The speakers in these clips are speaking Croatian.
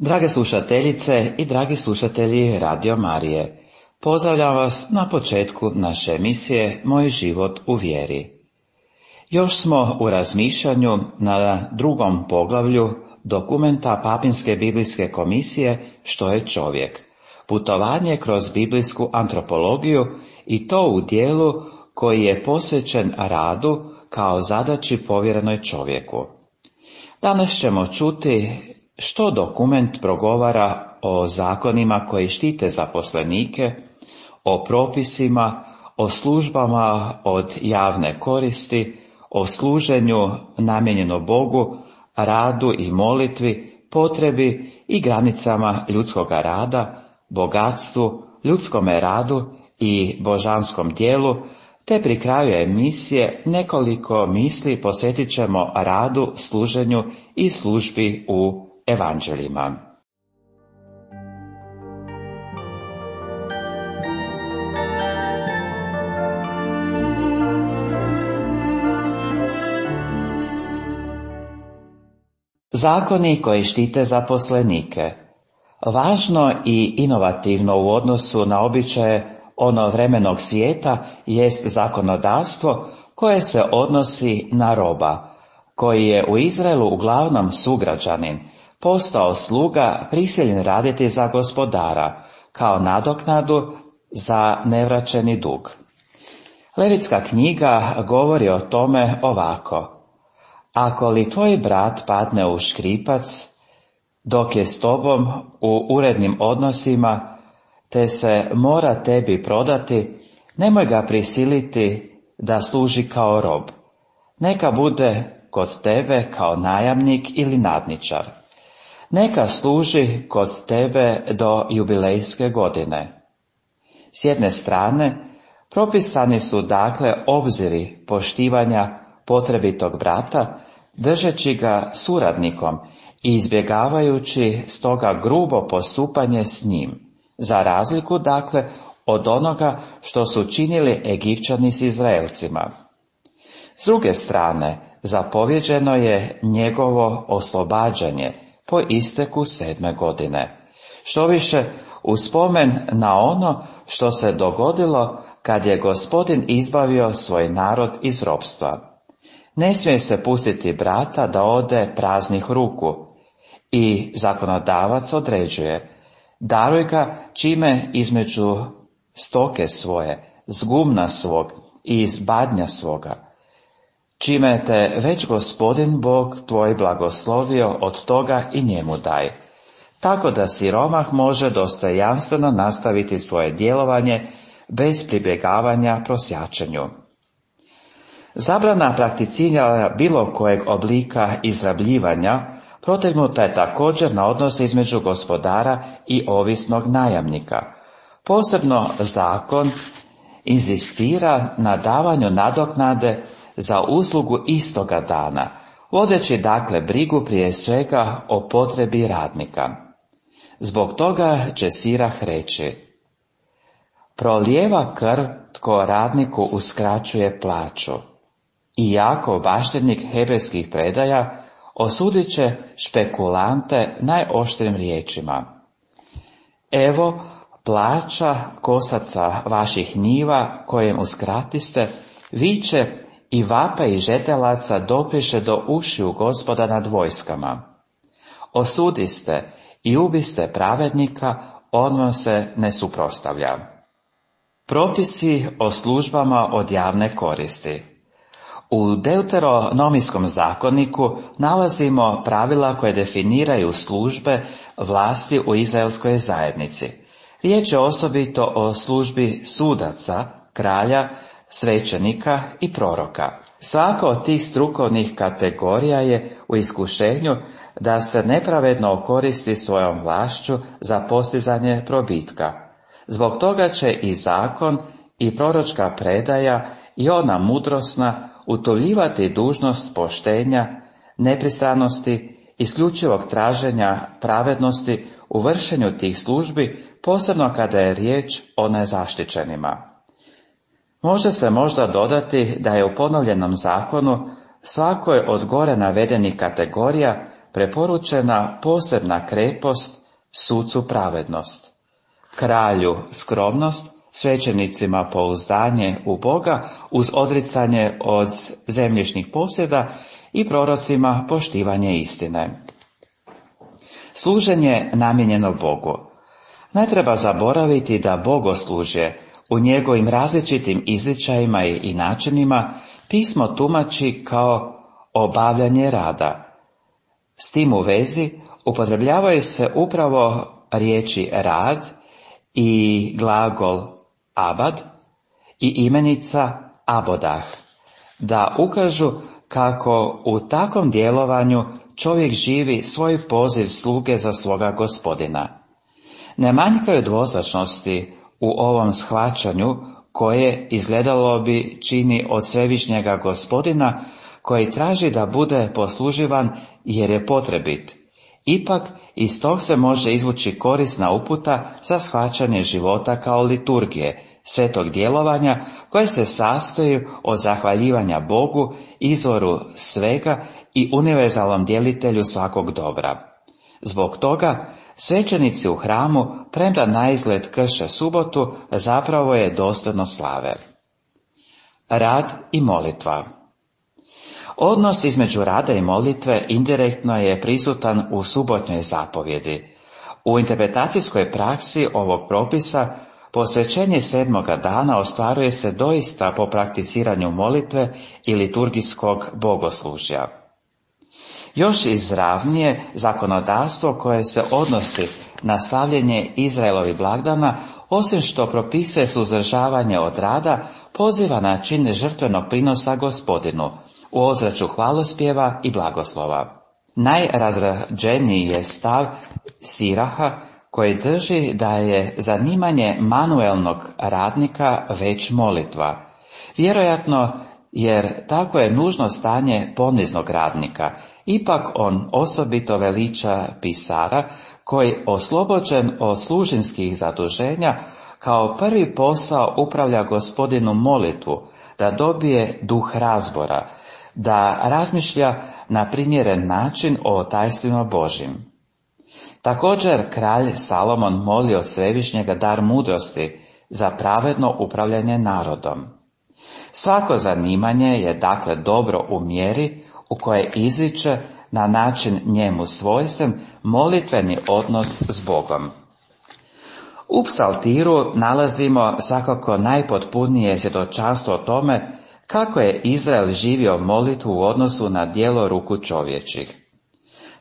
Drage slušateljice i dragi slušatelji Radio Marije, pozdravljam vas na početku naše emisije Moj život u vjeri. Još smo u razmišljanju na drugom poglavlju dokumenta Papinske biblijske komisije Što je čovjek? Putovanje kroz biblijsku antropologiju i to u dijelu koji je posvećen radu kao zadaći povjerenoj čovjeku. Danas ćemo čuti što dokument progovara o zakonima koji štite zaposlenike, o propisima, o službama od javne koristi, o služenju namijenjeno Bogu, radu i molitvi, potrebi i granicama ljudskoga rada, bogatstvu, ljudskome radu i božanskom dijelu, te pri kraju emisije nekoliko misli posvetit ćemo radu, služenju i službi u evanđeljima. Zakoni koji štite zaposlenike. Važno i inovativno u odnosu na običaje onovremenog svijeta jest zakonodavstvo koje se odnosi na roba, koji je u Izraelu uglavnom sugrađanin, postao sluga prisiljen raditi za gospodara, kao nadoknadu za nevraćeni dug. Levitska knjiga govori o tome ovako: ako li tvoj brat padne u škripac, dok je s tobom u urednim odnosima, te se mora tebi prodati, nemoj ga prisiliti da služi kao rob. Neka bude kod tebe kao najamnik ili nadničar. Neka služi kod tebe do jubilejske godine. S jedne strane, propisani su dakle obziri poštivanja potrebitog brata, držeći ga suradnikom i izbjegavajući stoga grubo postupanje s njim, za razliku dakle od onoga što su činili Egipćani s Izraelcima. S druge strane, zapovjeđeno je njegovo oslobađanje po isteku 7. godine. Štoviše, u spomen na ono što se dogodilo kad je Gospodin izbavio svoj narod iz ropstva. Ne smije se pustiti brata da ode praznih ruku i zakonodavac određuje: daruj ga čime između stoke svoje, z gumna svog i iz badnja svoga, čime te već Gospodin Bog tvoj blagoslovio, od toga i njemu daj, tako da siromah može dostojanstveno nastaviti svoje djelovanje bez pribjegavanja prosjačenju. Zabrana prakticiranja bilo kojeg oblika izrabljivanja protegnuta je također na odnose između gospodara i ovisnog najamnika. Posebno zakon inzistira na davanju nadoknade za uslugu istoga dana, vodeći dakle brigu prije svega o potrebi radnika. Zbog toga će Sirah reći: prolijeva krv tko radniku uskraćuje plaću. I Jakov, baštednik hebrejskih predaja, osudit će špekulante najoštrim riječima: evo plaća kosaca vaših njiva kojem uskratiste, viče i vapaj žetelaca dopriše do ušiju Gospoda nad vojskama. Osudiste i ubiste pravednika, on vam se ne suprotstavlja. Propisi o službama od javne koristi. U Deuteronomijskom zakoniku nalazimo pravila koje definiraju službe vlasti u izraelskoj zajednici. Riječ je osobito o službi sudaca, kralja, svećenika i proroka. Svaka od tih strukovnih kategorija je u iskušenju da se nepravedno okoristi svojom vlašću za postizanje probitka. Zbog toga će i zakon i proročka predaja i ona mudrosna utuljivati dužnost poštenja, nepristranosti, isključivog traženja pravednosti u vršenju tih službi, posebno kada je riječ o nezaštićenima. Može se možda dodati da je u ponovljenom zakonu svakoj od gore navedenih kategorija preporučena posebna krepost, sucu pravednost, kralju skromnost, svećenicima pouzdanje u Boga uz odricanje od zemljišnih posjeda i prorocima poštivanje istine. Služenje namijenjeno Bogu. Ne treba zaboraviti da bogoslužje u njegovim različitim izričajima i načinima pismo tumači kao obavljanje rada. S tim u vezi upotrebljavaju se upravo riječi rad i glagol abad i imenica abodah, da ukažu kako u takvom djelovanju čovjek živi svoj poziv sluge za svoga Gospodina. Ne manjkaju dvoznačnosti u ovom shvaćanju koje, izgledalo bi, čini od svevišnjega Gospodina koji traži da bude posluživan jer je potrebit. Ipak iz tog se može izvući korisna uputa za shvaćanje života kao liturgije, svetog djelovanja koje se sastoji od zahvaljivanja Bogu, izvoru svega i univerzalnom djelitelju svakog dobra. Zbog toga svećenici u hramu, premda naizgled krše subotu, zapravo je dosljedno slave. Rad i molitva. Odnos između rada i molitve indirektno je prisutan u subotnjoj zapovjedi. U interpretacijskoj praksi ovog propisa posvećenje 7. dana ostvaruje se doista po prakticiranju molitve i liturgijskog bogoslužja. Još izravnije zakonodavstvo koje se odnosi na slavljenje Izraelovih blagdana, osim što propisuje suzdržavanje od rada, poziva na čin žrtvenog prinosa Gospodinu, u ozračju hvalospjeva i blagoslova. Najrazrađeniji je stav Siraha koji drži da je zanimanje manuelnog radnika već molitva, vjerojatno jer tako je nužno stanje poniznog radnika. Ipak on osobito veliča pisara koji, oslobođen od služinskih zaduženja, kao prvi posao upravlja Gospodinu molitvu, da dobije duh razbora, da razmišlja na primjeren način o tajstvima Božjim. Također kralj Salomon moli od Svevišnjega dar mudrosti za pravedno upravljanje narodom. Svako zanimanje je dakle dobro u mjeri u kojoj izriče na način njemu svojstven molitveni odnos s Bogom. U psaltiru nalazimo svakako najpotpunije svjedočanstvo o tome kako je Izrael živio molitvu u odnosu na djelo ruku čovječih.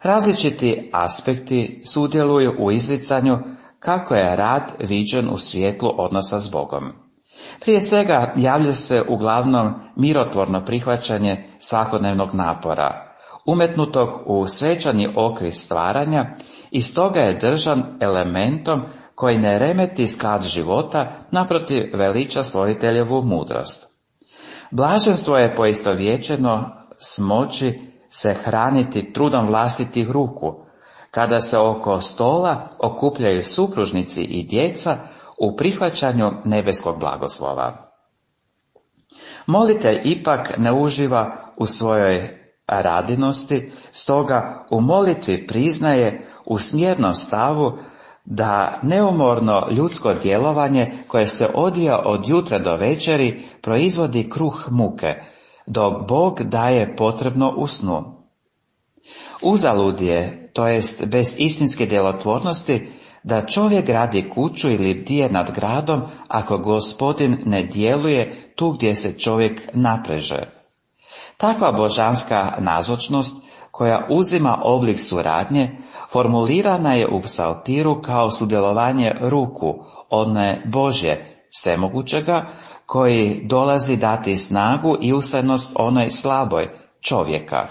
Različiti aspekti sudjeluju u izricanju kako je rad viđen u svjetlu odnosa s Bogom. Prije svega javlja se uglavnom mirotvorno prihvaćanje svakodnevnog napora, umetnutog u svečani okvir stvaranja, i stoga je držan elementom koji ne remeti sklad života, naprotiv veliča stvoriteljevu mudrost. Blaženstvo je poistovjećeno s moći se hraniti trudom vlastitih ruku, kada se oko stola okupljaju supružnici i djeca u prihvaćanju nebeskog blagoslova. Molitelj ipak ne uživa u svojoj radinosti, stoga u molitvi priznaje u smjernom stavu da neumorno ljudsko djelovanje koje se odvija od jutra do večeri proizvodi kruh muke, dok Bog daje potrebno u snu. Uzalud je, to jest bez istinske djelotvornosti, da čovjek gradi kuću ili bdije nad gradom ako Gospodin ne djeluje tu gdje se čovjek napreže. Takva božanska nazočnost koja uzima oblik suradnje formulirana je u psaltiru kao sudjelovanje ruku one Božje svemogućega koji dolazi dati snagu i ustrajnost onoj slaboj čovjeka.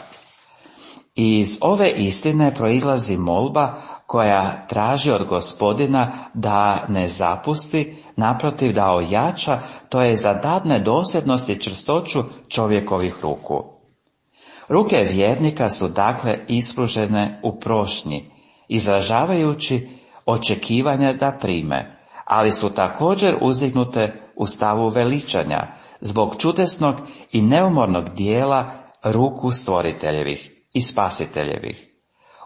Iz ove istine proizlazi molba koja traži od Gospodina da ne zapusti, naprotiv da ojača, to je da dadne dosljednost i čvrstoću čovjekovih ruku. Ruke vjernika su dakle ispružene u prošnji, izražavajući očekivanja da prime, ali su također uzdignute u stavu veličanja zbog čudesnog i neumornog dijela ruku stvoriteljevih i spasiteljevih.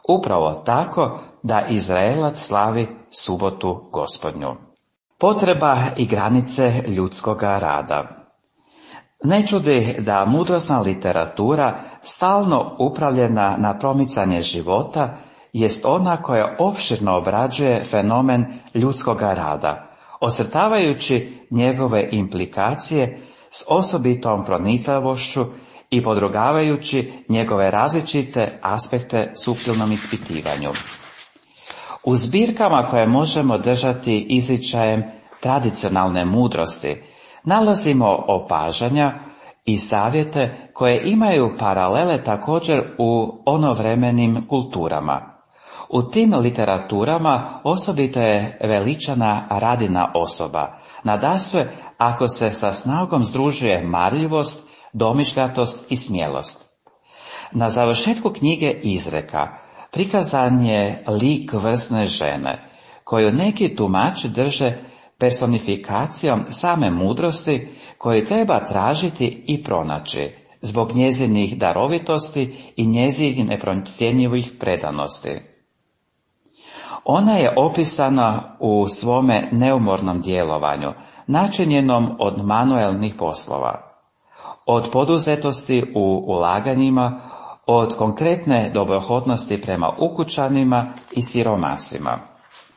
upravo tako da Izraelac slavi subotu Gospodnju. Potreba i granice ljudskoga rada. Ne čudi da mudrosna literatura, stalno upravljena na promicanje života, jest ona koja opširno obrađuje fenomen ljudskoga rada, ocrtavajući njegove implikacije s osobitom pronicavošću i podrugavajući njegove različite aspekte suptilnom ispitivanju. U zbirkama koje možemo držati izričajem tradicionalne mudrosti nalazimo opažanja i savjete koje imaju paralele također u onovremenim kulturama. U tim literaturama osobito je veličana Radina osoba, nadasve ako se sa snagom združuje marljivost, domišljatost i smjelost. Na završetku knjige Izreka prikazan je lik vrsne žene, koju neki tumači drže personifikacijom same mudrosti koju treba tražiti i pronaći, zbog njezinih darovitosti i njezinih neprocjenjivih predanosti. Ona je opisana u svome neumornom djelovanju, načinjenom od manuelnih poslova, od poduzetosti u ulaganjima, od konkretne dobrohotnosti prema ukućanima i siromasima.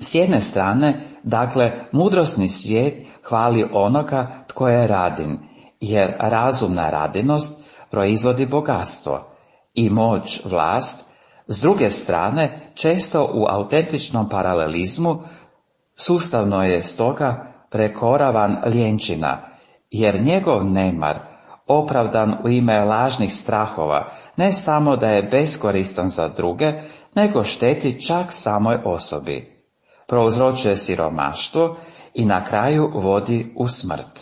S jedne strane, dakle, mudrosni svijet hvali onoga tko je radin, jer razumna radinost proizvodi bogatstvo i moć, vlast. S druge strane, često u autentičnom paralelizmu, sustavno je stoga prekoravan ljenčina, jer njegov nemar, opravdan u ime lažnih strahova, ne samo da je beskoristan za druge, nego šteti čak samoj osobi. Prouzročuje siromaštvo i na kraju vodi u smrt.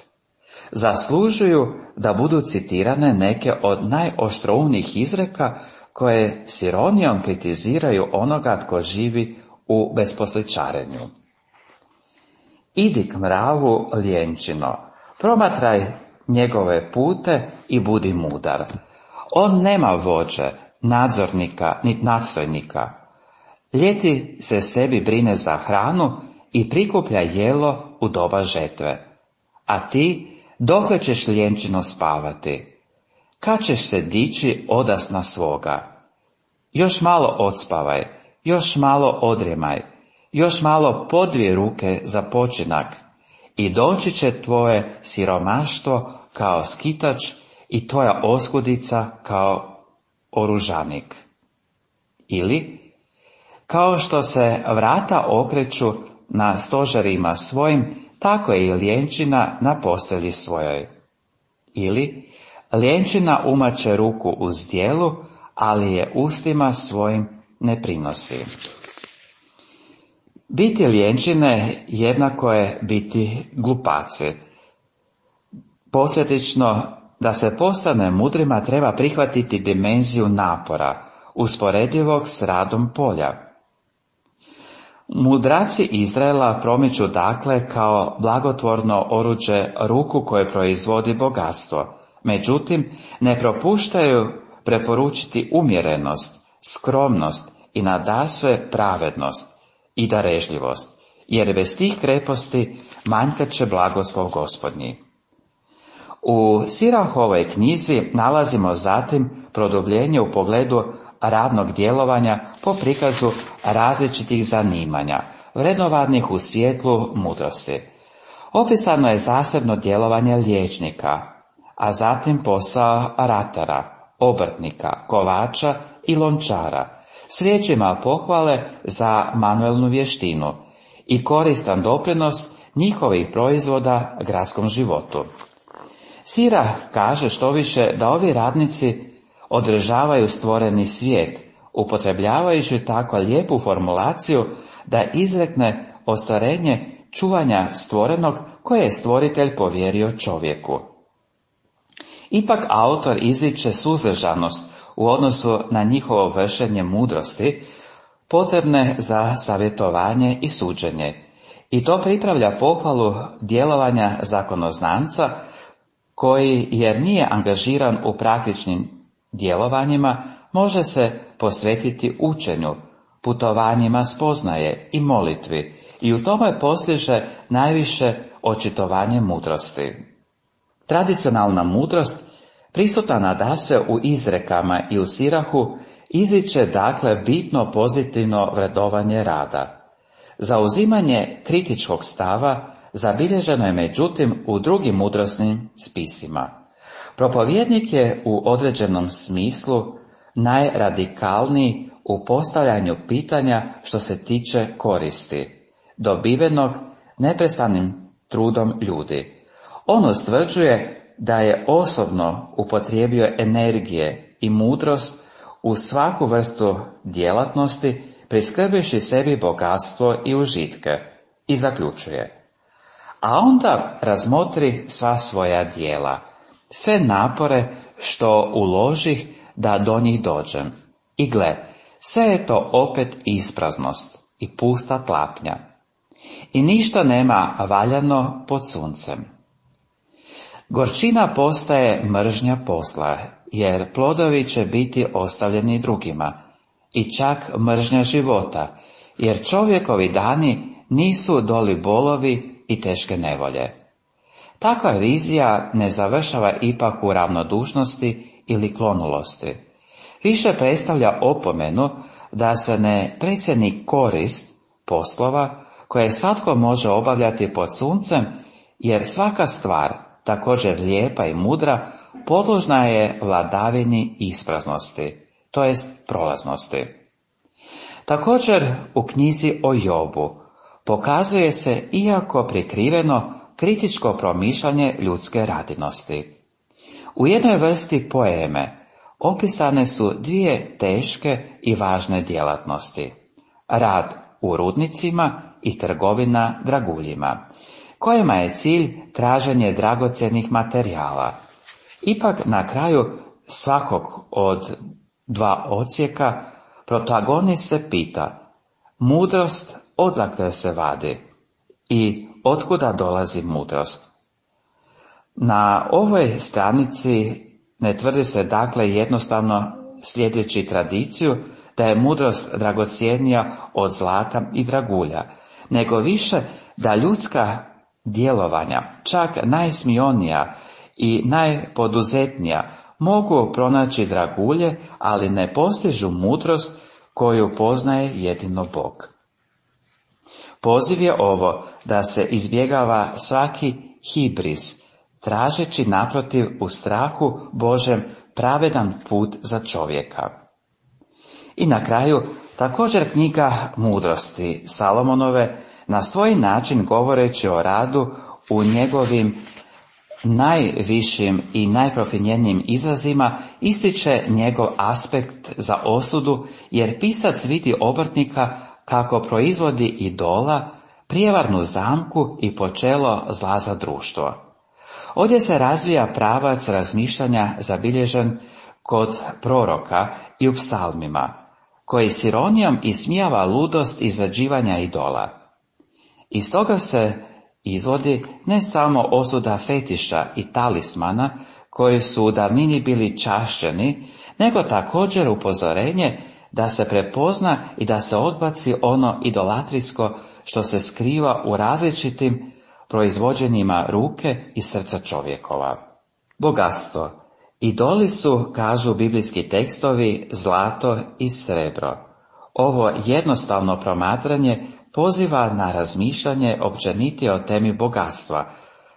Zaslužuju da budu citirane neke od najoštroumnijih izreka koje s ironijom kritiziraju onoga tko živi u besposličarenju. Idi k mravu, ljenčino, promatraj njegove pute i budi mudar. On nema vođe, nadzornika, niti nadstojnika. Ljeti se sebi brine za hranu i prikuplja jelo u doba žetve. A ti, dokle ćeš ljenčino spavati? Kad ćeš se dići odasna svoga? Još malo odspavaj, još malo odremaj, još malo podvije ruke za počinak i doći će tvoje siromaštvo kao skitač i tvoja oskudica kao oružanik. Ili, kao što se vrata okreću na stožerima svojim, tako je i ljenčina na postelji svojoj. Ili, ljenčina umače ruku u zdjelu, ali je ustima svojim ne prinosi. Biti ljenčine jednako je biti glupaci. Posljedično, da se postane mudrima treba prihvatiti dimenziju napora, usporedivog s radom polja. Mudraci Izraela promiču dakle kao blagotvorno oruđe ruku koje proizvodi bogatstvo, međutim ne propuštaju preporučiti umjerenost, skromnost i nadasve pravednost i darežljivost, jer bez tih kreposti manjkat će blagoslov Gospodnji. U Sirahovoj knjizi nalazimo zatim produbljenje u pogledu radnog djelovanja po prikazu različitih zanimanja, vrednovanih u svjetlu mudrosti. Opisano je zasebno djelovanje liječnika, a zatim posao ratara, obrtnika, kovača i lončara, s riječima pohvale za manuelnu vještinu i koristan doprinos njihovih proizvoda gradskom životu. Sirah kaže štoviše da ovi radnici održavaju stvoreni svijet, upotrebljavajući tako lijepu formulaciju da izrekne ostvarenje čuvanja stvorenog koje je stvoritelj povjerio čovjeku. Ipak autor izriče suzdržanost u odnosu na njihovo vršenje mudrosti, potrebne za savjetovanje i suđenje, i to pripravlja pohvalu djelovanja zakonoznanca koji, jer nije angažiran u praktičnim djelovanjima, može se posvetiti učenju, putovanjima spoznaje i molitvi i u tome postiže najviše očitovanje mudrosti. Tradicionalna mudrost, prisutna nadasve u izrekama i u sirahu, izriče dakle bitno pozitivno vrednovanje rada. Zauzimanje kritičkog stava zabilježeno je međutim u drugim mudrosnim spisima. Propovjednik je u određenom smislu najradikalniji u postavljanju pitanja što se tiče koristi, dobivenog neprestanim trudom ljudi. On ustvrđuje da je osobno upotrijebio energije i mudrost u svaku vrstu djelatnosti, priskrbivši sebi bogatstvo i užitke, i zaključuje: a onda razmotri sva svoja djela, sve napore što uložih da do njih dođem. I gle, sve je to opet ispraznost i pusta tlapnja. I ništa nema valjano pod suncem. Gorčina postaje mržnja posla, jer plodovi će biti ostavljeni drugima, i čak mržnja života, jer čovjekovi dani nisu doli bolovi i teške nevolje. Takva vizija ne završava ipak u ravnodušnosti ili klonulosti. Više predstavlja opomenu da se ne precijeni korist poslova koje svatko može obavljati pod suncem, jer svaka stvar, također lijepa i mudra, podložna je vladavini ispraznosti, to jest prolaznosti. Također u knjizi o Jobu pokazuje se, iako prikriveno, kritičko promišljanje ljudske radinosti. U jednoj vrsti poeme opisane su dvije teške i važne djelatnosti: rad u rudnicima i trgovina draguljima, kojima je cilj traženje dragocjenih materijala. Ipak na kraju svakog od dva odsjeka protagonist se pita: mudrost odakle se vadi i otkuda dolazi mudrost? Na ovoj stranici ne tvrdi se dakle jednostavno slijedeći tradiciju da je mudrost dragocjenija od zlata i dragulja, nego više da ljudska djelovanja, čak najsmionija i najpoduzetnija, mogu pronaći dragulje, ali ne postižu mudrost koju poznaje jedino Bog. Poziv je ovo da se izbjegava svaki hibris, tražeći naprotiv u strahu Božem pravedan put za čovjeka. I na kraju, također knjiga Mudrosti Salomonove, na svoj način govoreći o radu u njegovim najvišim i najprofinjenijim izrazima, ističe njegov aspekt za osudu, jer pisac vidi obrtnika kako proizvodi idola, prijevarnu zamku i počelo zla za društvo. Ovdje se razvija pravac razmišljanja zabilježen kod proroka i u psalmima, koji s ironijom ismijava ludost izrađivanja idola. Iz toga se izvodi ne samo osuda fetiša i talismana, koji su u davnini bili čašćeni, nego također upozorenje da se prepozna i da se odbaci ono idolatrijsko što se skriva u različitim proizvođenjima ruke i srca čovjekova. Bogatstvo. Idoli su, kažu biblijski tekstovi, zlato i srebro. Ovo jednostavno promatranje poziva na razmišljanje općenitije o temi bogatstva,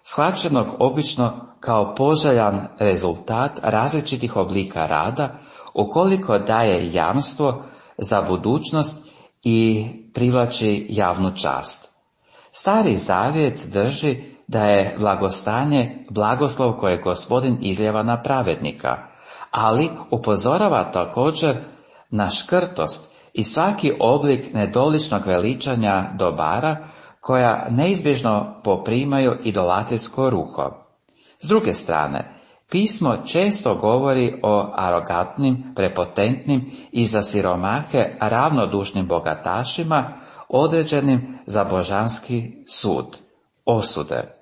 shvaćenog obično kao poželjan rezultat različitih oblika rada, ukoliko daje jamstvo za budućnost i privlači javnu čast. Stari zavjet drži da je blagostanje blagoslov koje Gospodin izljeva na pravednika, ali upozorava također na škrtost i svaki oblik nedoličnog veličanja dobara koja neizbježno poprimaju idolatrijsko ruho. S druge strane, pismo često govori o arogantnim, prepotentnim i za siromahe ravnodušnim bogatašima određenim za božanski sud, osude.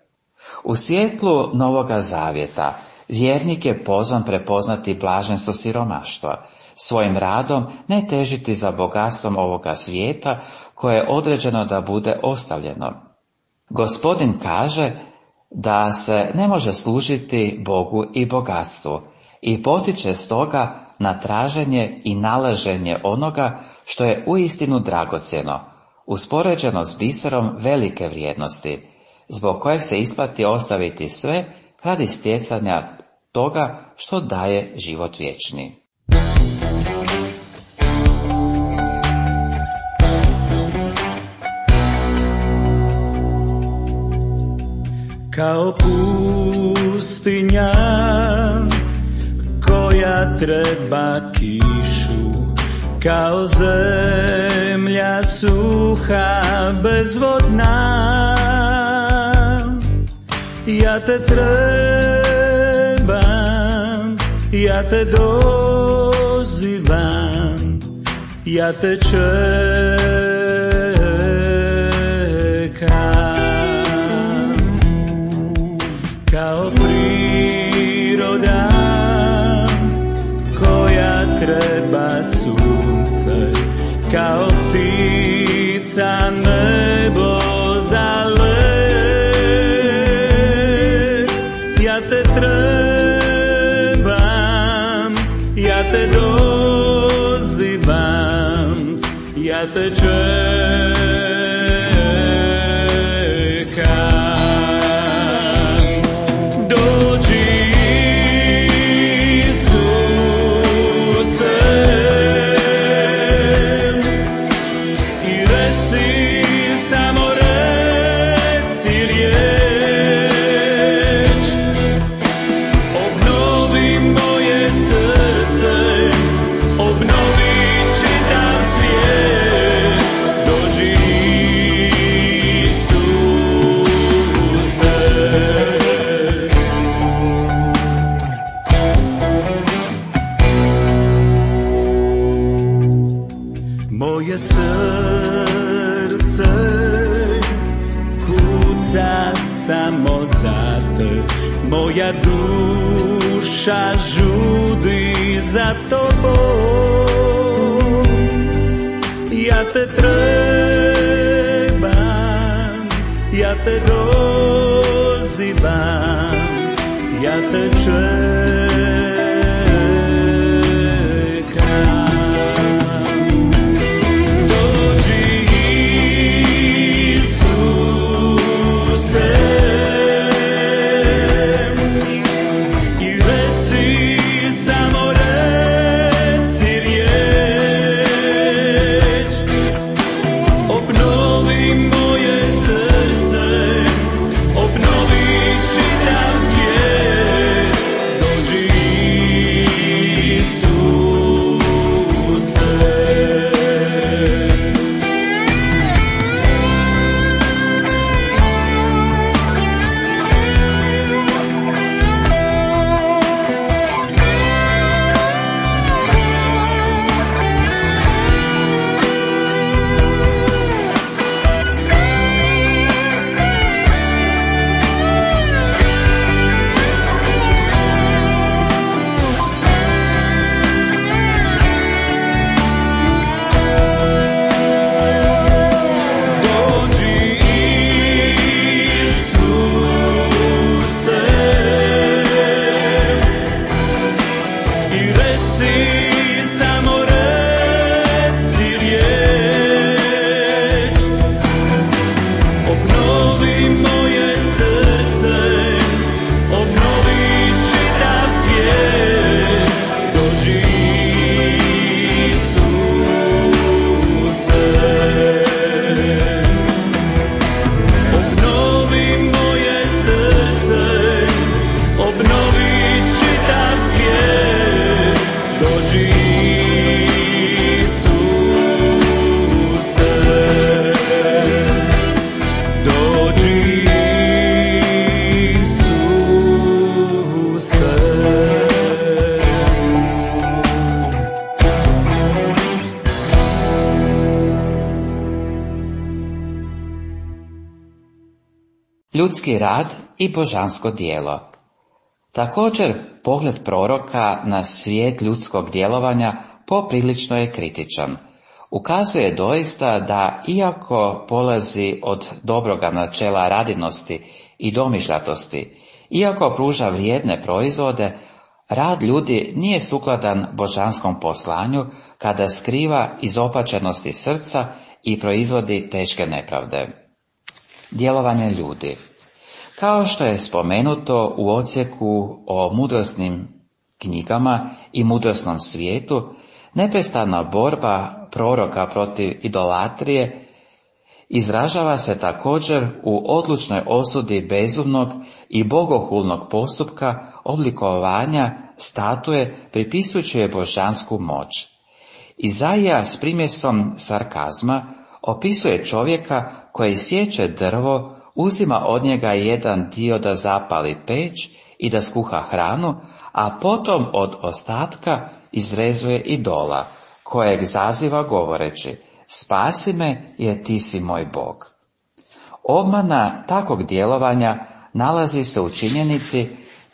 U svjetlu Novoga Zavjeta vjernik je pozvan prepoznati blaženstvo siromaštva, svojim radom ne težiti za bogatstvom ovoga svijeta koje je određeno da bude ostavljeno. Gospodin kaže da se ne može služiti Bogu i bogatstvu i potiče stoga na traženje i nalaženje onoga što je uistinu dragocjeno, uspoređeno s biserom velike vrijednosti, zbog kojeg se isplati ostaviti sve radi stjecanja toga što daje život vječni. Kao pustinja koja treba kišu, kao zemlja suha bezvodna, ja te trebam, ja te dozivam, ja te čekam. Kao priroda koja treba sunce, kao ptica nebo zalet, ja te trebam, ja te dozivam, ja te čekam. Moje srce kuca samo za te, moja duša žudi za tobom. Ja te trebam, ja te dozivam, ja te čekam. Ljudski rad i božansko djelo. Također, pogled proroka na svijet ljudskog djelovanja poprilično je kritičan. Ukazuje doista da iako polazi od dobroga načela radinosti i domišljatosti, iako pruža vrijedne proizvode, rad ljudi nije sukladan božanskom poslanju kada skriva izopačenosti srca i proizvodi teške nepravde. Djelovanje ljudi. Kao što je spomenuto u odsjeku o mudrosnim knjigama i mudrosnom svijetu, neprestana borba proroka protiv idolatrije izražava se također u odlučnoj osudi bezumnog i bogohulnog postupka oblikovanja statue pripisujući je božansku moć. Izaija s primjesom sarkazma opisuje čovjeka koji sječe drvo, uzima od njega jedan dio da zapali peć i da skuha hranu, a potom od ostatka izrezuje idola, kojeg zaziva govoreći: spasi me jer ti si moj Bog. Obmana takvog djelovanja nalazi se u činjenici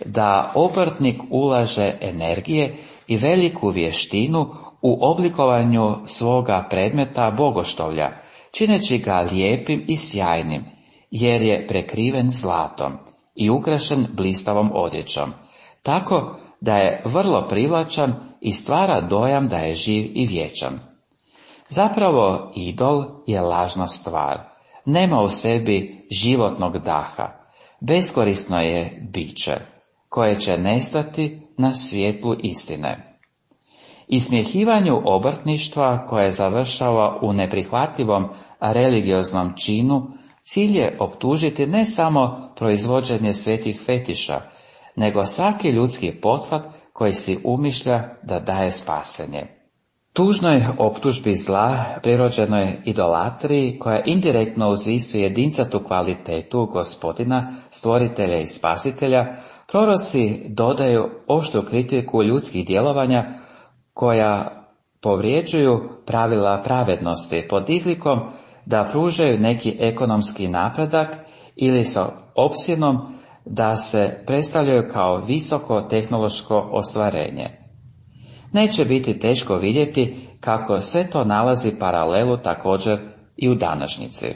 da obrtnik ulaže energije i veliku vještinu u oblikovanju svoga predmeta bogoštovlja, čineći ga lijepim i sjajnim, jer je prekriven zlatom i ukrašen blistavom odjećom, tako da je vrlo privlačan i stvara dojam da je živ i vječan. Zapravo, idol je lažna stvar, nema u sebi životnog daha, beskorisno je biće, koje će nestati na svjetlu istine. Ismjehivanju obrtništva koje završava u neprihvatljivom religioznom činu, cilj je optužiti ne samo proizvođenje svetih fetiša, nego svaki ljudski pothvat koji si umišlja da daje spasenje. Tužnoj optužbi zla, prirođenoj idolatriji, koja indirektno uzvisuje jedincatu kvalitetu Gospodina, stvoritelja i spasitelja, proroci dodaju oštru kritiku ljudskih djelovanja koja povrijeđuju pravila pravednosti pod izlikom da pružaju neki ekonomski napredak ili sa opsjenom da se predstavljaju kao visoko tehnološko ostvarenje. Neće biti teško vidjeti kako sve to nalazi paralelu također i u današnjici.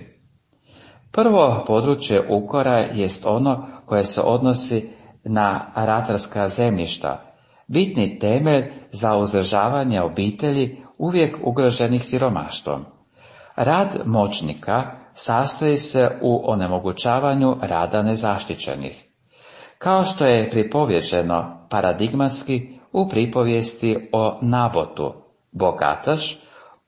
Prvo područje ukora jest ono koje se odnosi na ratarska zemljišta, bitni temelj za uzdržavanje obitelji uvijek ugroženih siromaštvom. Rad moćnika sastoji se u onemogućavanju rada nezaštićenih. Kao što je pripovjeđeno paradigmatski u pripovijesti o Nabotu, bogataš,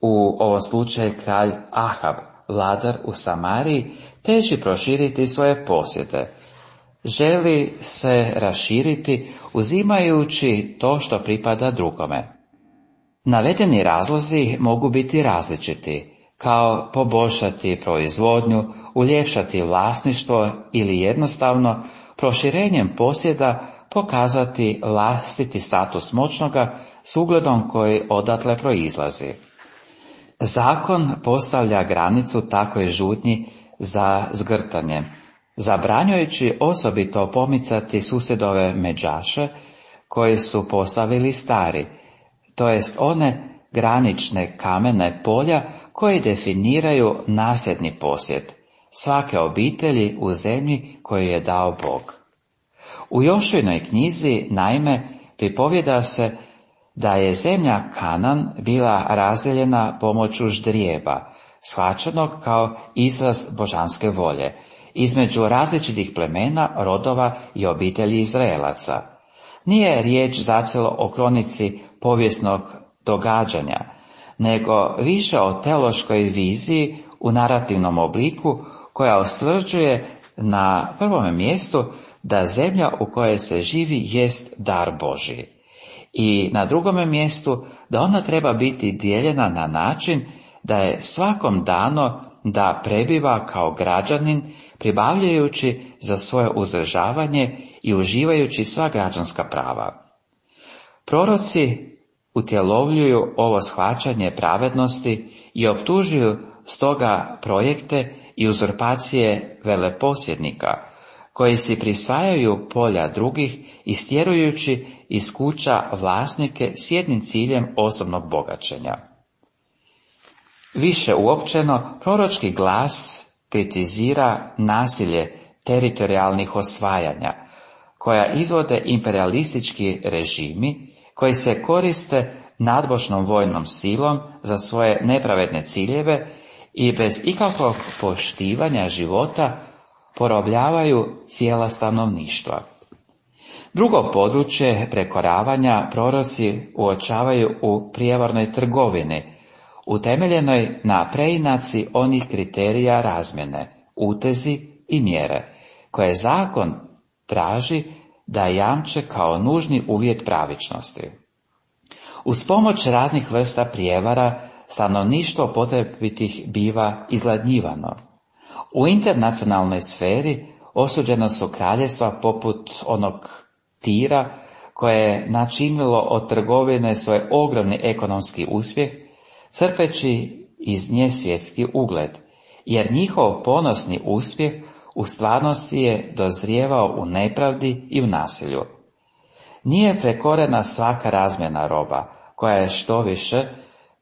u ovom slučaju kralj Ahab, vladar u Samariji, teži proširiti svoje posjede. Želi se raširiti uzimajući to što pripada drugome. Navedeni razlozi mogu biti različiti, kao poboljšati proizvodnju, uljepšati vlasništvo ili jednostavno proširenjem posjeda pokazati vlastiti status moćnoga s ugledom koji odatle proizlazi. Zakon postavlja granicu takvoj žudnji za zgrtanjem, zabranjujući osobito pomicati susjedove međaše koje su postavili stari, to jest one granične kamene polja koje definiraju nasljedni posjed svake obitelji u zemlji koju je dao Bog. U Jošuinoj knjizi, naime, pripovjeda se da je zemlja Kanan bila razdijeljena pomoću ždrijeba, shvaćenog kao izraz božanske volje, između različitih plemena, rodova i obitelji Izraelaca. Nije riječ zacijelo o kronici povijesnog događanja, nego više o teološkoj viziji u narativnom obliku koja ustvrđuje na prvome mjestu da zemlja u kojoj se živi jest dar Božji i na drugome mjestu da ona treba biti dijeljena na način da je svakom dano da prebiva kao građanin pribavljajući za svoje uzdržavanje i uživajući sva građanska prava. Proroci utjelovljuju ovo shvaćanje pravednosti i optužuju stoga projekte i uzurpacije veleposjednika, koji si prisvajaju polja drugih, istjerujući iz kuća vlasnike s jednim ciljem osobnog bogaćenja. Više uopćeno, proročki glas kritizira nasilje teritorijalnih osvajanja, koja izvode imperialistički režimi koji se koriste nadmoćnom vojnom silom za svoje nepravedne ciljeve i bez ikakvog poštivanja života porobljavaju cijela stanovništva. Drugo područje prekoravanja proroci uočavaju u prijevarnoj trgovini, utemeljenoj na preinaci onih kriterija razmjene, utezi i mjere, koje zakon traži da jamče kao nužni uvjet pravičnosti. Uz pomoć raznih vrsta prijevara, stanovništvo potrebitih biva izgladnjivano. U internacionalnoj sferi osuđena su kraljevstva poput onog Tira, koje je načinilo od trgovine svoj ogromni ekonomski uspjeh, crpeći iz nje svjetski ugled, jer njihov ponosni uspjeh u stvarnosti je dozrijevao u nepravdi i u nasilju. Nije prekorena svaka razmjena roba, koja je štoviše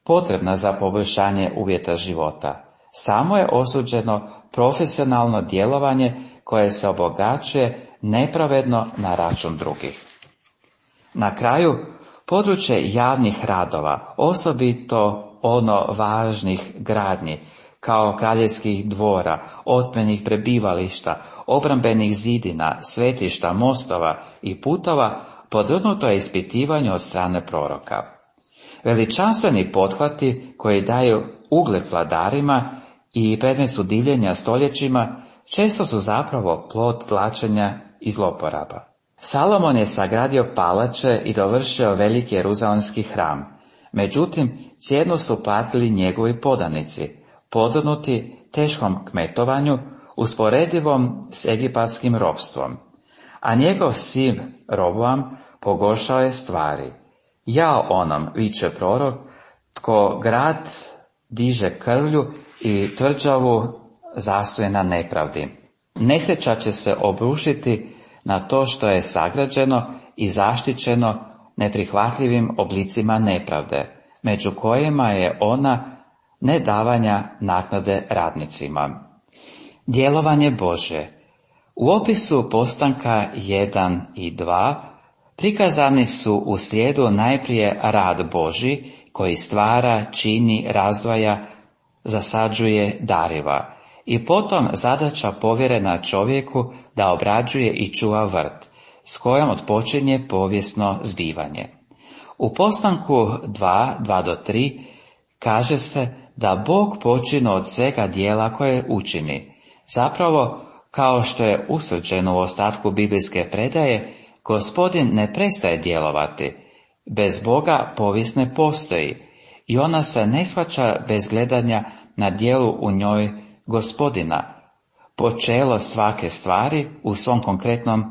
potrebna za poboljšanje uvjeta života. Samo je osuđeno profesionalno djelovanje koje se obogaćuje nepravedno na račun drugih. Na kraju, područje javnih radova, osobito ono važnih gradnji, kao kraljevskih dvora, otmenih prebivališta, obrambenih zidina, svetišta, mostova i putova, podvrgnuto je ispitivanju od strane proroka. Veličanstveni pothvati koji daju ugled vladarima i predmet su divljenja stoljećima, često su zapravo plod tlačenja i zloporaba. Salomon je sagradio palače i dovršio veliki jeruzalemski hram, međutim cijenu su platili njegovi podanici, podvrgnuti teškom kmetovanju usporedivom s egipatskim ropstvom, a njegov sin Roboam pogoršao je stvari. Jao onom, viče prorok, tko grad diže krvlju i tvrđavu zastuje na nepravdi. Nesreća će se obrušiti na to što je sagrađeno i zaštićeno neprihvatljivim oblicima nepravde, među kojima je ona nedavanja naknade radnicima. Djelovanje Božje. U opisu postanka 1 i 2 prikazani su u slijedu najprije rad Božji koji stvara, čini, razdvaja, zasađuje, dariva, i potom zadaća povjerena čovjeku da obrađuje i čuva vrt, s kojom otpočinje povijesno zbivanje. U postanku 2:2-3 kaže se da Bog počine od svega dijela koje učini. Zapravo, kao što je usvrđeno u ostatku biblijske predaje, Gospodin ne prestaje djelovati. Bez Boga povijest ne postoji i ona se ne shvaća bez gledanja na djelu u njoj Gospodina, počelo svake stvari u svom konkretnom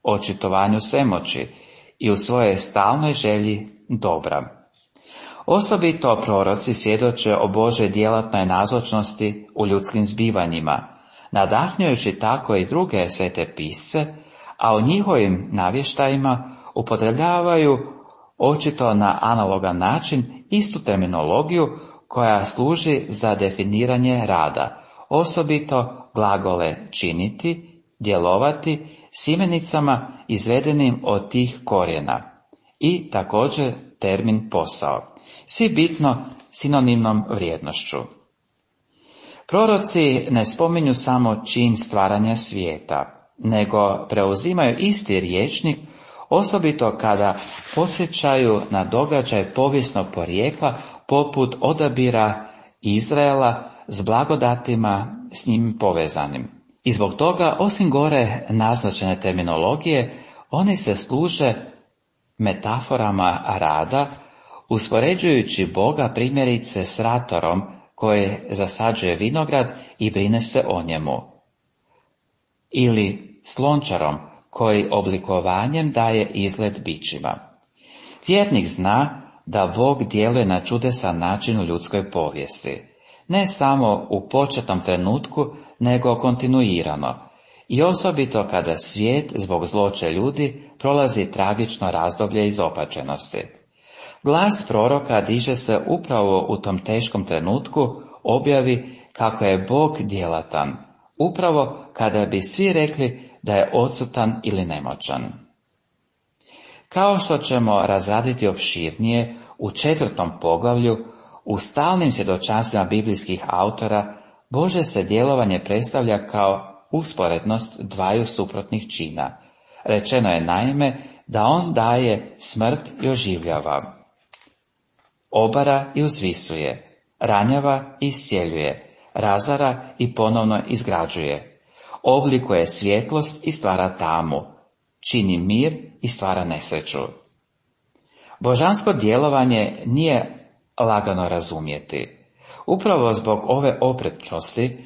očitovanju svemoći i u svojoj stalnoj želji dobra. Osobito proroci svjedoče o Božoj djelatnoj nazočnosti u ljudskim zbivanjima, nadahnjujući tako i druge svete pisce, a u njihovim navještajima upotrebljavaju očito na analogan način istu terminologiju koja služi za definiranje rada, osobito glagole činiti, djelovati s imenicama izvedenim od tih korijena i također termin posao, svi bitno sinonimnom vrijednošću. Proroci ne spominju samo čin stvaranja svijeta, nego preuzimaju isti rječnik, osobito kada podsjećaju na događaj povijesnog porijekla poput odabira Izraela s blagodatima s njim povezanim. I zbog toga, osim gore naznačene terminologije, oni se služe metaforama rada, uspoređujući Boga primjerice s ratorom koji zasađuje vinograd i brine se o njemu, ili s lončarom koji oblikovanjem daje izgled bićima. Vjernik zna da Bog djeluje na čudesan način u ljudskoj povijesti, ne samo u početnom trenutku, nego kontinuirano, i osobito kada svijet zbog zloće ljudi prolazi tragično razdoblje izopačenosti. Glas proroka diže se upravo u tom teškom trenutku objavi kako je Bog djelatan, upravo kada bi svi rekli da je odsutan ili nemoćan. Kao što ćemo razraditi opširnije u 4. poglavlju, u stalnim svjedočanstvima biblijskih autora, Božje se djelovanje predstavlja kao usporednost dvaju suprotnih čina. Rečeno je naime da on daje smrt i oživljava, obara i uzvisuje, ranjava i iscijeljuje, razara i ponovno izgrađuje, oblikuje svjetlost i stvara tamu, čini mir i stvara nesreću. Božansko djelovanje nije lagano razumjeti. Upravo zbog ove oprečnosti,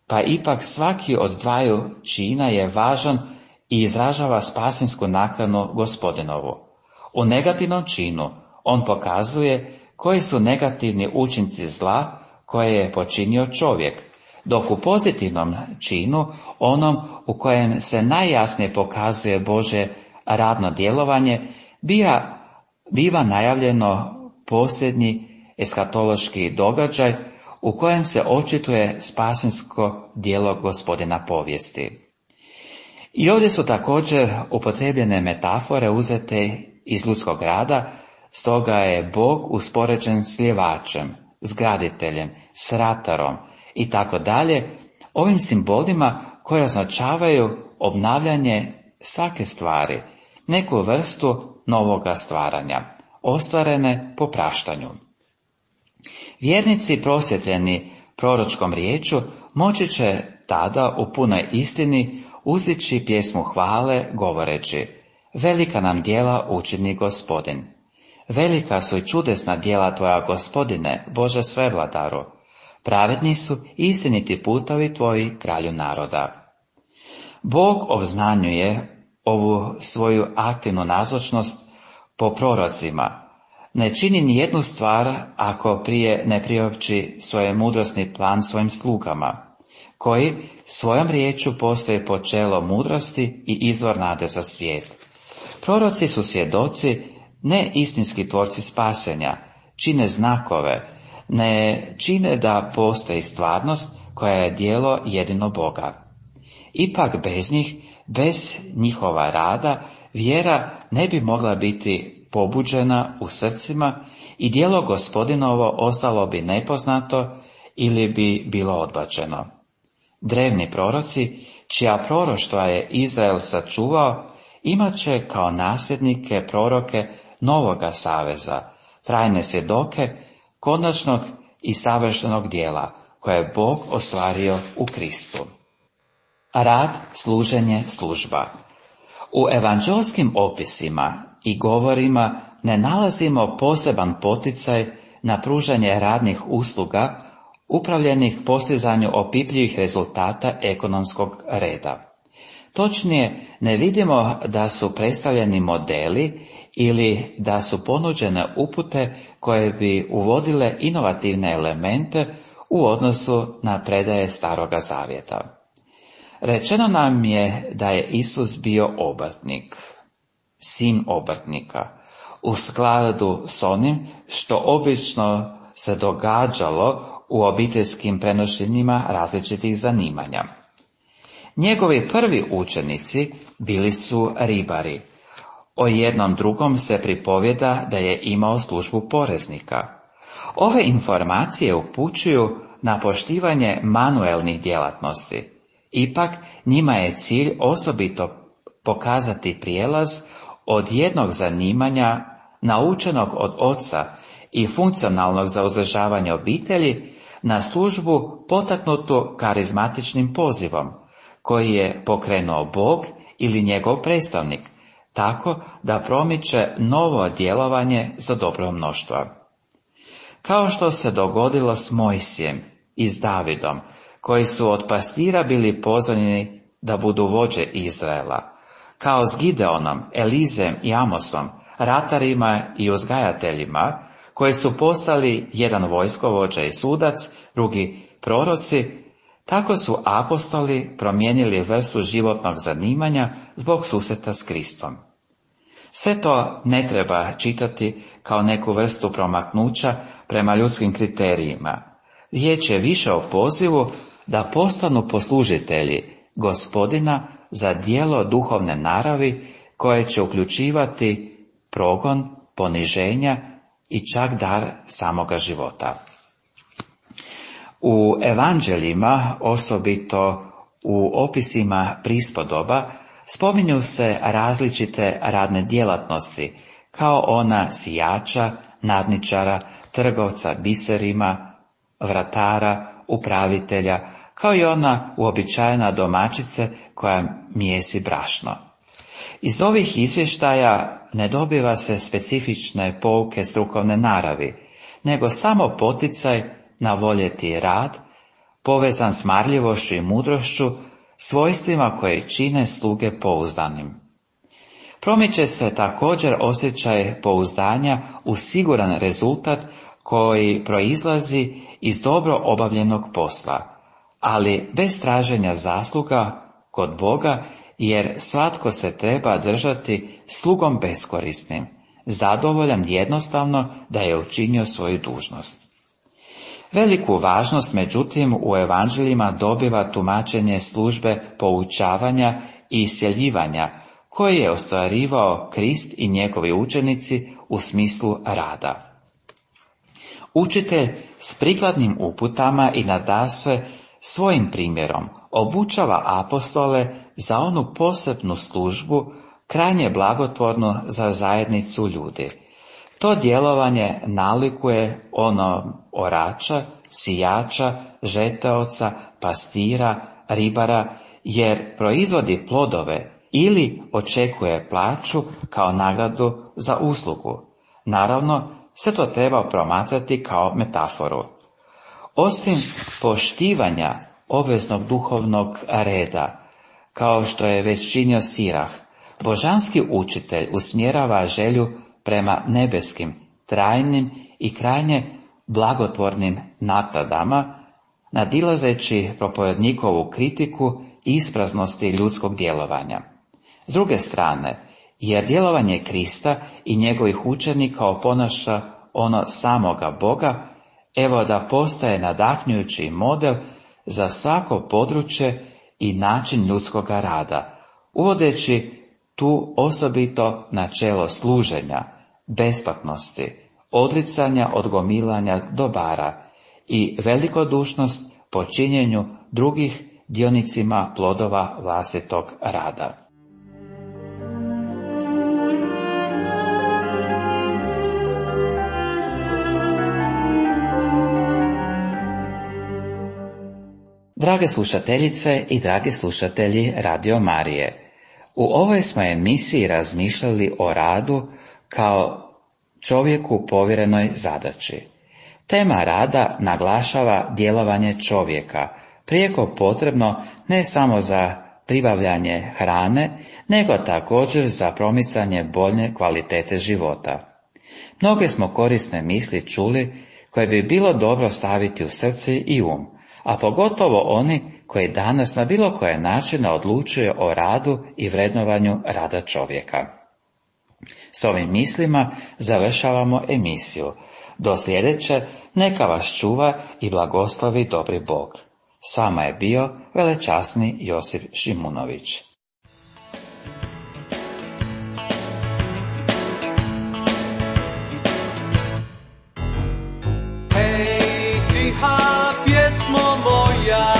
pa ipak svaki od dvaju čina je važan i izražava spasinsku nakanu Gospodinovu. U negativnom činu on pokazuje koji su negativni učinci zla koje je počinio čovjek, dok u pozitivnom činu, onom u kojem se najjasnije pokazuje Božje radno djelovanje, biva najavljeno posljednji eskatološki događaj u kojem se očituje spasinsko djelo Gospodina povijesti. I ovdje su također upotrijebljene metafore uzete iz ljudskog rada, stoga je Bog uspoređen s ljevačem, s graditeljem, s ratarom i tako dalje, ovim simbolima koji označavaju obnavljanje svake stvari, neku vrstu novoga stvaranja, ostvarene po praštanju. Vjernici prosvjetljeni proročkom riječu moći će tada u punoj istini uzdići pjesmu hvale govoreći: velika nam djela učini Gospodin. Velika su i čudesna djela tvoja, Gospodine, Bože svevladaru. Pravedni su istiniti putovi tvoji, kralju naroda. Bog obznanjuje ovu svoju aktivnu nazočnost po prorocima. Ne čini ni jednu stvar ako prije ne priopći svoj mudrosni plan svojim slugama, koji svojom riječu postoje počelo mudrosti i izvor nade za svijet. Proroci su svjedoci, ne istinski tvorci spasenja, čine znakove, ne čine da postoji stvarnost koja je djelo jedino Boga. Ipak bez njih, bez njihova rada, vjera ne bi mogla biti pobuđena u srcima i djelo Gospodinovo ostalo bi nepoznato ili bi bilo odbačeno. Drevni proroci, čija proroštva je Izrael sačuvao, imat će kao nasljednike proroke novoga saveza, trajne svjedoke konačnog i savršenog djela koje je Bog ostvario u Kristu. Rad, služenje, služba. U evanđelskim opisima i govorima ne nalazimo poseban poticaj na pružanje radnih usluga upravljenih postizanju opipljivih rezultata ekonomskog reda. Točnije, ne vidimo da su predstavljeni modeli ili da su ponuđene upute koje bi uvodile inovativne elemente u odnosu na predaje Staroga Zavjeta. Rečeno nam je da je Isus bio obrtnik, sin obrtnika, u skladu s onim što obično se događalo u obiteljskim prenošenjima različitih zanimanja. Njegovi prvi učenici bili su ribari. O jednom drugom se pripovjeda da je imao službu poreznika. Ove informacije upućuju na poštivanje manuelnih djelatnosti. Ipak njima je cilj osobito pokazati prijelaz od jednog zanimanja naučenog od oca i funkcionalnog za uzdržavanje obitelji na službu potaknutu karizmatičnim pozivom, koji je pokrenuo Bog ili njegov predstavnik, tako da promiče novo djelovanje za dobro mnoštva. Kao što se dogodilo s Mojsijem i s Davidom, koji su od pastira bili pozvani da budu vođe Izraela, kao s Gideonom, Elizem i Amosom, ratarima i uzgajateljima, koji su postali jedan vojskovođa i sudac, drugi proroci, Tako su apostoli promijenili vrstu životnog zanimanja zbog susreta s Kristom. Sve to ne treba čitati kao neku vrstu promaknuća prema ljudskim kriterijima. Riječ je više o pozivu da postanu poslužitelji Gospodina za djelo duhovne naravi koje će uključivati progon, poniženja i čak dar samoga života. U evanđeljima, osobito u opisima prispodoba, spominju se različite radne djelatnosti, kao ona sijača, nadničara, trgovca biserima, vratara, upravitelja, kao i ona uobičajena domaćice koja mijesi brašno. Iz ovih izvještaja ne dobiva se specifične pouke strukovne naravi, nego samo poticaj na voljeti rad, povezan s marljivošću i mudrošću, svojstvima koje čine sluge pouzdanim. Promiče se također osjećaj pouzdanja u siguran rezultat koji proizlazi iz dobro obavljenog posla, ali bez traženja zasluga kod Boga, jer svatko se treba držati slugom beskorisnim, zadovoljan jednostavno da je učinio svoju dužnost. Veliku važnost, međutim, u evanđeljima dobiva tumačenje službe poučavanja i iscjeljivanja, koje je ostvarivao Krist i njegovi učenici u smislu rada. Učitelj s prikladnim uputama i nadasve svojim primjerom obučava apostole za onu posebnu službu, krajnje blagotvornu za zajednicu ljudi. To djelovanje nalikuje ono orača, sijača, žeteoca, pastira, ribara, jer proizvodi plodove ili očekuje plaću kao nagradu za uslugu. Naravno, sve to treba promatrati kao metaforu. Osim poštivanja obveznog duhovnog reda, kao što je već činio Sirah, božanski učitelj usmjerava želju prema nebeskim, trajnim i krajnje blagotvornim naknadama, nadilazeći propovednikovu kritiku ispraznosti ljudskog djelovanja. S druge strane, jer djelovanje Krista i njegovih učenika oponaša ono samoga Boga, evo da postaje nadahnjujući model za svako područje i način ljudskoga rada, uvodeći tu osobito načelo služenja, besplatnosti, odricanja od gomilanja dobara i velikodušnost po činjenju drugih dionicima plodova vlastitog rada. Drage slušateljice i dragi slušatelji Radio Marije, u ovoj smo emisiji razmišljali o radu kao čovjeku povjerenoj zadaći. Tema rada naglašava djelovanje čovjeka, prijeko potrebno ne samo za pribavljanje hrane, nego također za promicanje bolje kvalitete života. Mnoge smo korisne misli čuli koje bi bilo dobro staviti u srce i um, a pogotovo oni koji danas na bilo koje načine odlučuju o radu i vrednovanju rada čovjeka. S ovim mislima završavamo emisiju. Do sljedeće, neka vas čuva i blagoslovi dobri Bog. S vama je bio velečasni Josip Šimunović. Hej, tiha pjesmo moja,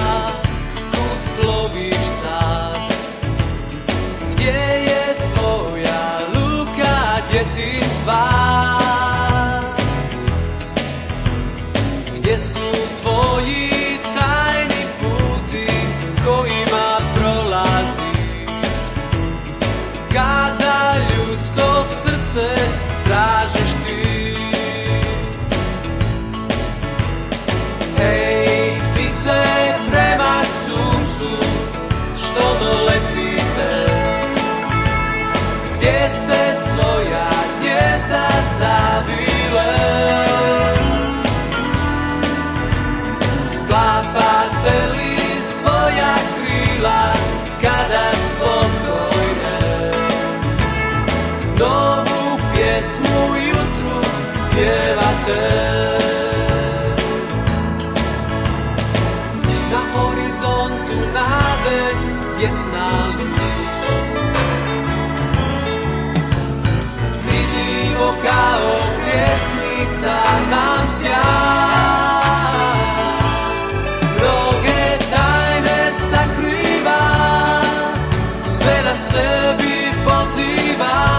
kud ploviš sad? Gdje je tvoja luka djetinjstva? Gdje su tvoji tajni puti kojima prolazi? Kada ljudsko srce tražiš ti? Hej, ptice prema suncu, što doletite? Gdje ste svoja gnjezda zavile? Sklapate li letite. Na horizontu nade vječna luz, stidljivo kao pjesnica nam sja. Mnoge tajne sakriva, sve na sebi poziva.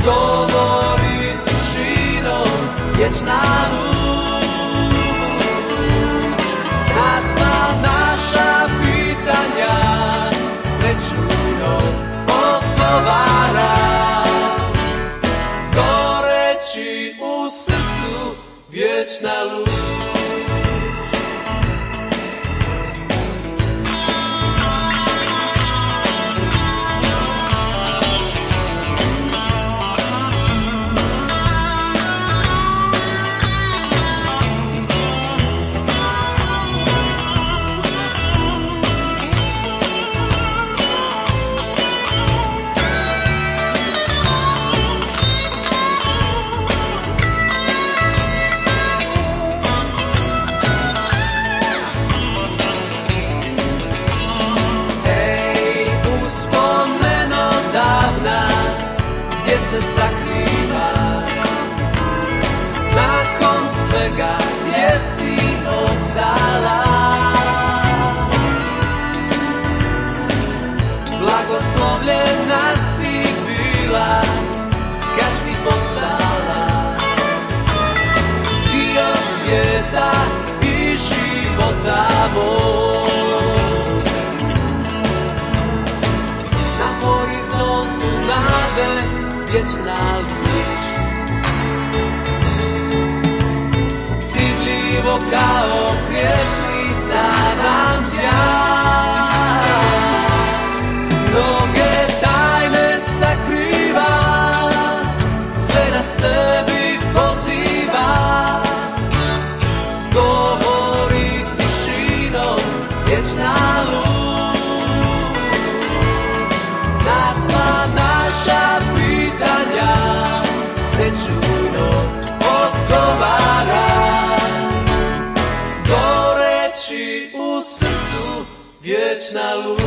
Govori tišinom vječna luč, na sva naša pitanja nečujno odgovara. Goreći u srcu vječna luč. Se sakriva, nakon svega gdje si ostala. Blagoslovljena si bila kad si postala dio svijeta i života moj. Na horizontu nade vječna luč, stidljivo kao pjesnica nam sja. Mnoge tajne sakriva, sve na sebi poziva. Govori tišinom vječna luč, na sva naša pitanja nečujno odgovara. Goreći u srcu vječna luč,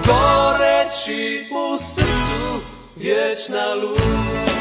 goreći u srcu vječna luč.